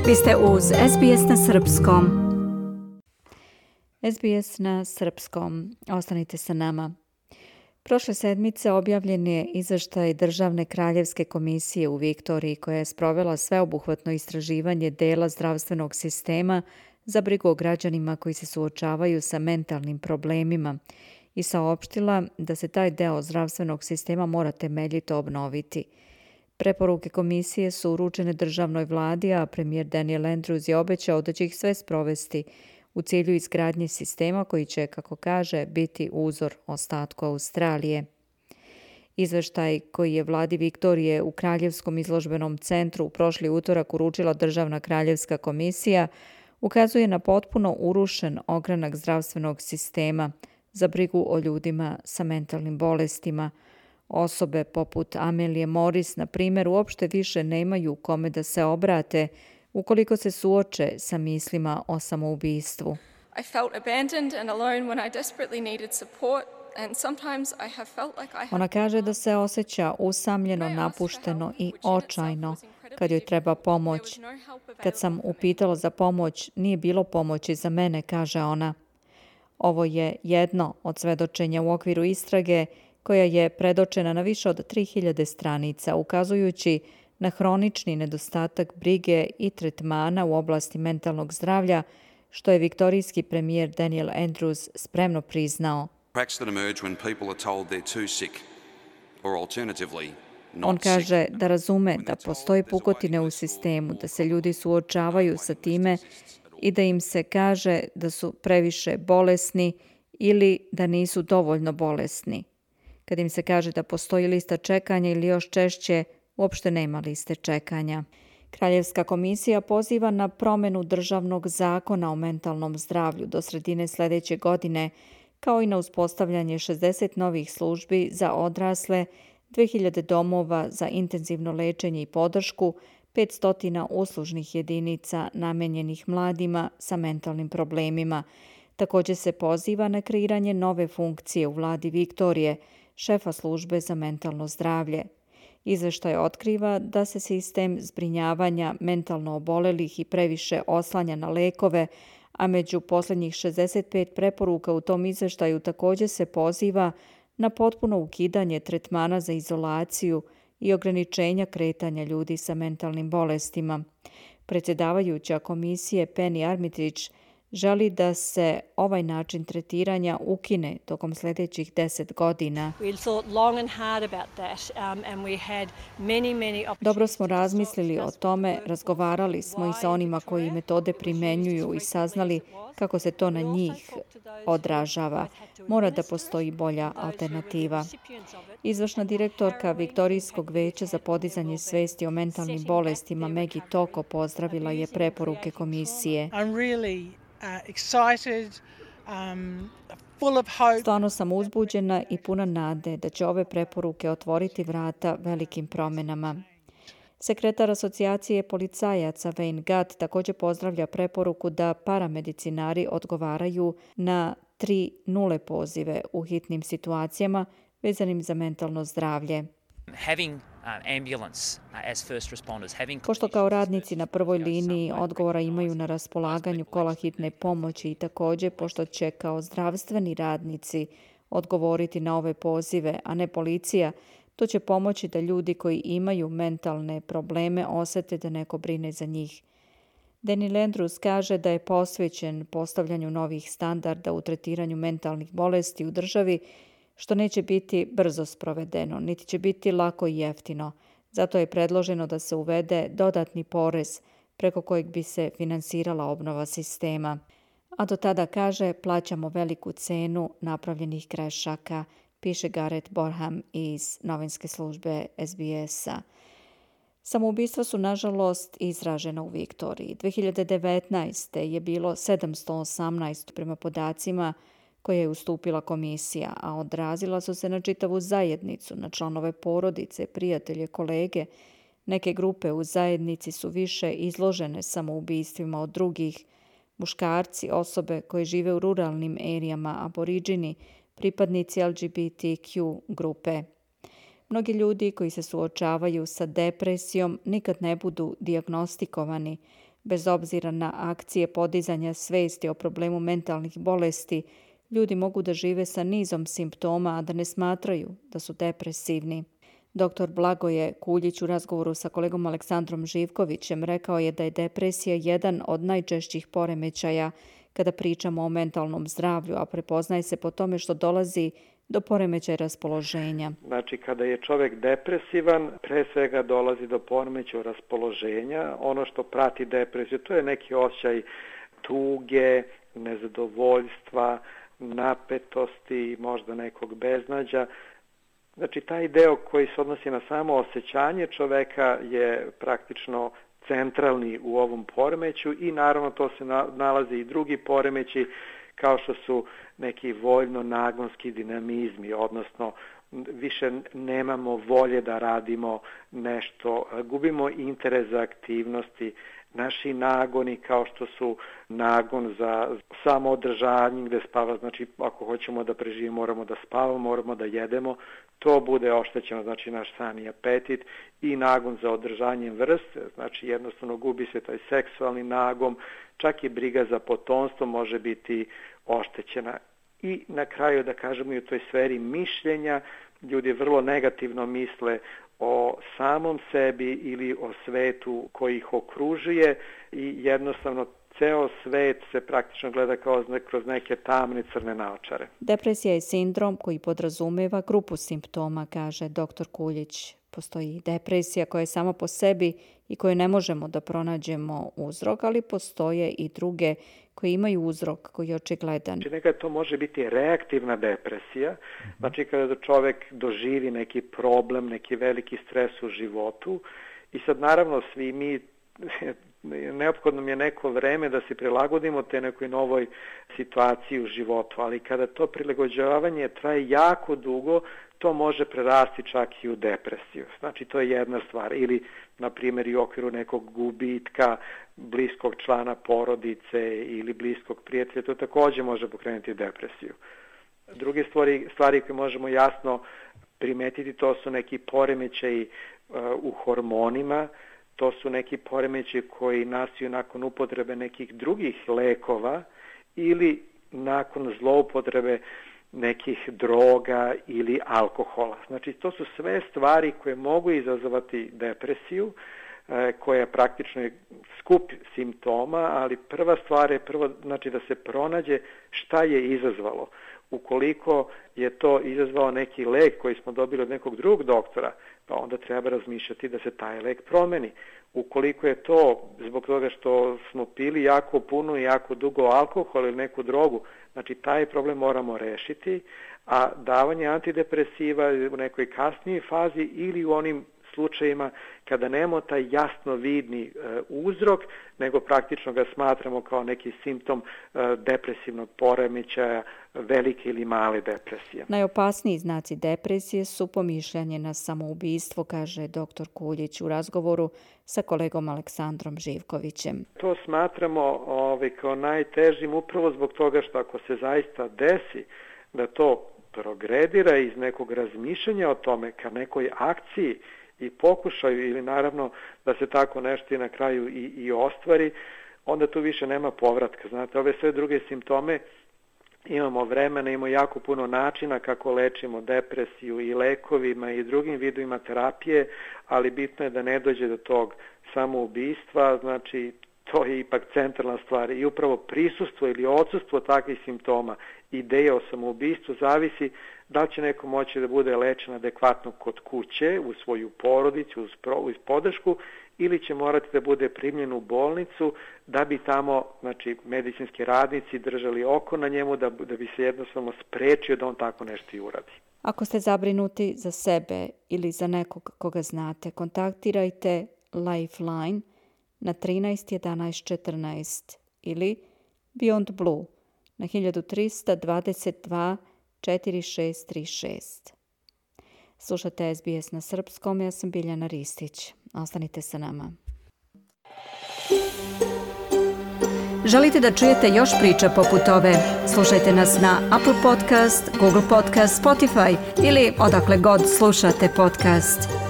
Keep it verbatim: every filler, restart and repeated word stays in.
Vi ste uz es be es na srpskom. es be es na srpskom. Ostanite sa nama. Prošle sedmice objavljen je izveštaj Državne kraljevske komisije u Viktoriji koja je sprovela sveobuhvatno istraživanje dela zdravstvenog sistema za brigu o građanima koji se suočavaju sa mentalnim problemima i saopštila da se taj deo zdravstvenog sistema mora temeljito obnoviti. Preporuke komisije su uručene državnoj vladi, a premijer Daniel Andrews je obećao da će ih sve sprovesti u cilju izgradnje sistema koji će, kako kaže, biti uzor ostatku Australije. Izveštaj koji je vladi Viktorije u Kraljevskom izložbenom centru u prošli utorak uručila Državna kraljevska komisija ukazuje na potpuno urušen ogranak zdravstvenog sistema za brigu o ljudima sa mentalnim bolestima. Osobe poput Amelije Morris, na primjer, uopšte više nemaju kome da se obrate ukoliko se suoče sa mislima o samoubistvu. I felt abandoned and alone when I desperately needed support, and sometimes I have felt like I have... Ona kaže da se osjeća usamljeno, napušteno i očajno kad joj treba pomoć. Kad sam upitala za pomoć, nije bilo pomoći za mene, kaže ona. Ovo je jedno od svedočenja u okviru istrage koja je predočena na više od tri hiljade stranica, ukazujući na hronični nedostatak brige i tretmana u oblasti mentalnog zdravlja, što je viktorijski premijer Daniel Andrews spremno priznao. On kaže da razume da postoje pukotine u sistemu, da se ljudi suočavaju sa time i da im se kaže da su previše bolesni ili da nisu dovoljno bolesni. Kad im se kaže da postoji lista čekanja ili još češće, uopšte nema liste čekanja. Kraljevska komisija poziva na promjenu državnog zakona o mentalnom zdravlju do sredine sljedeće godine, kao i na uspostavljanje šezdeset novih službi za odrasle, dve hiljade domova za intenzivno lečenje i podršku, petsto uslužnih jedinica namenjenih mladima sa mentalnim problemima. Također se poziva na kreiranje nove funkcije u vladi Viktorije, šefa službe za mentalno zdravlje. Izveštaj otkriva da se sistem zbrinjavanja mentalno obolelih i previše oslanja na lekove, a među posljednjih šezdeset pet preporuka u tom izveštaju također se poziva na potpuno ukidanje tretmana za izolaciju i ograničenja kretanja ljudi sa mentalnim bolestima. Predsjedavajuća komisije Penny Armitage želi da se ovaj način tretiranja ukine tokom sljedećih deset godina. Dobro smo razmislili o tome, razgovarali smo i sa onima koji metode primjenjuju i saznali kako se to na njih odražava. Mora da postoji bolja alternativa. Izvršna direktorka Viktorijskog veća za podizanje svesti o mentalnim bolestima Maggie Toko pozdravila je preporuke komisije. Stvarno sam uzbuđena i puna nade da će ove preporuke otvoriti vrata velikim promjenama. Sekretar asocijacije policajaca Wayne Gatt također pozdravlja preporuku da paramedicinari odgovaraju na tri nule pozive u hitnim situacijama vezanim za mentalno zdravlje. Pošto kao radnici na prvoj liniji odgovora imaju na raspolaganju kola hitne pomoći i također pošto će kao zdravstveni radnici odgovoriti na ove pozive, a ne policija, to će pomoći da ljudi koji imaju mentalne probleme osjete da neko brine za njih. Daniel Andrews kaže da je posvećen postavljanju novih standarda u tretiranju mentalnih bolesti u državi, što neće biti brzo sprovedeno, niti će biti lako i jeftino. Zato je predloženo da se uvede dodatni porez preko kojeg bi se finansirala obnova sistema. A do tada, kaže, plaćamo veliku cenu napravljenih grešaka, piše Gareth Borham iz novinske službe es be es-a. Samoubistva su, nažalost, izražena u Viktoriji. dve hiljade devetnaeste. je bilo sedamsto osamnaest prema podacima koje je ustupila komisija, a odrazila su se na čitavu zajednicu, na članove porodice, prijatelje, kolege. Neke grupe u zajednici su više izložene samoubistvima od drugih. Muškarci, osobe koje žive u ruralnim erijama, aboriđini, pripadnici el ge be te kju grupe. Mnogi ljudi koji se suočavaju sa depresijom nikad ne budu dijagnostikovani, Bez obzira na akcije podizanja svesti o problemu mentalnih bolesti, ljudi mogu da žive sa nizom simptoma, a da ne smatraju da su depresivni. Doktor Blagoje Kuljić u razgovoru sa kolegom Aleksandrom Živkovićem rekao je da je depresija jedan od najčešćih poremećaja kada pričamo o mentalnom zdravlju, a prepoznaje se po tome što dolazi do poremećaja raspoloženja. Znači, kada je čovjek depresivan, pre svega dolazi do poremećaja raspoloženja. Ono što prati depresiju, to je neki osjećaj tuge, nezadovoljstva, napetosti, možda nekog beznađa. Znači, taj deo koji se odnosi na samo osjećanje čoveka je praktično centralni u ovom poremeću i naravno to se nalazi i drugi poremeći kao što su neki voljno-nagonski dinamizmi, odnosno više nemamo volje da radimo nešto, gubimo interes za aktivnosti, naši nagoni kao što su nagon za samoodržanje gde spava, znači ako hoćemo da preživimo moramo da spavamo, moramo da jedemo, to bude oštećeno, znači naš san i apetit i nagon za održanjem vrste, znači jednostavno gubi se taj seksualni nagon, čak i briga za potomstvo može biti oštećena. I na kraju da kažemo i u toj sferi mišljenja, ljudi vrlo negativno misle o samom sebi ili o svetu koji ih okružuje i jednostavno ceo svet se praktično gleda kao kroz neke tamne crne naočare. Depresija je sindrom koji podrazumeva grupu simptoma, kaže doktor Kuljić. Postoji depresija koja je sama po sebi i koju ne možemo da pronađemo uzrok, ali postoje i druge koji imaju uzrok koji je očigledan. Znači, nekada to može biti reaktivna depresija, znači kada čovjek doživi neki problem, neki veliki stres u životu i sad naravno svi mi neophodno mi je neko vreme da se prilagodimo te nekoj novoj situaciji u životu, ali kada to prilagođavanje traje jako dugo, to može prerasti čak i u depresiju. Znači, to je jedna stvar. Ili, na primjer, i u okviru nekog gubitka bliskog člana porodice ili bliskog prijatelja, to također može pokrenuti depresiju. Druge stvari, stvari koje možemo jasno primetiti, to su neki poremećaji uh, u hormonima, to su neki poremećaji koji nastaju nakon upotrebe nekih drugih lekova ili nakon zloupotrebe nekih droga ili alkohola. Znači, to su sve stvari koje mogu izazvati depresiju, koja je praktično skup simptoma, ali prva stvar je prvo, znači, da se pronađe šta je izazvalo. Ukoliko je to izazvao neki lek koji smo dobili od nekog drugog doktora, pa onda treba razmišljati da se taj lek promeni. Ukoliko je to zbog toga što smo pili jako puno i jako dugo alkohol ili neku drogu, znači taj problem moramo rešiti, a davanje antidepresiva u nekoj kasnijoj fazi ili u onim slučajima kada nemamo taj jasno vidni e, uzrok, nego praktično ga smatramo kao neki simptom e, depresivnog poremećaja, velike ili male depresije. Najopasniji znaci depresije su pomišljanje na samoubistvo, kaže doktor Kuljić u razgovoru sa kolegom Aleksandrom Živkovićem. To smatramo ovaj, kao najtežim upravo zbog toga što ako se zaista desi da to progredira iz nekog razmišljanja o tome ka nekoj akciji i pokušaju ili naravno da se tako nešto i na kraju i, i ostvari, onda tu više nema povratka. Znate, ove sve druge simptome imamo vremena, imamo jako puno načina kako lečimo depresiju i lekovima i drugim vidovima terapije, ali bitno je da ne dođe do tog samoubistva, znači to je ipak centralna stvar i upravo prisustvo ili odsustvo takvih simptoma, ideja o samoubistvu zavisi da li će neko moći da bude lečen adekvatno kod kuće, u svoju porodicu, uz, pro, uz podršku, ili će morati da bude primljen u bolnicu da bi tamo, znači, medicinski radnici držali oko na njemu da, da bi se jednostavno sprečio da on tako nešto i uradi. Ako ste zabrinuti za sebe ili za nekog koga znate, kontaktirajte Lifeline na trinaest jedanaest četrnaest ili Beyond Blue na hiljadu trista dvadeset dva četrdeset šest trideset šest. Slušate S B S na srpskom, ja sam Biljana Ristić. Ostanite sa nama. Želite da čujete još priča poput ove? Slušajte nas na Apple Podcast, Google Podcast, Spotify ili odakle god slušate podcast.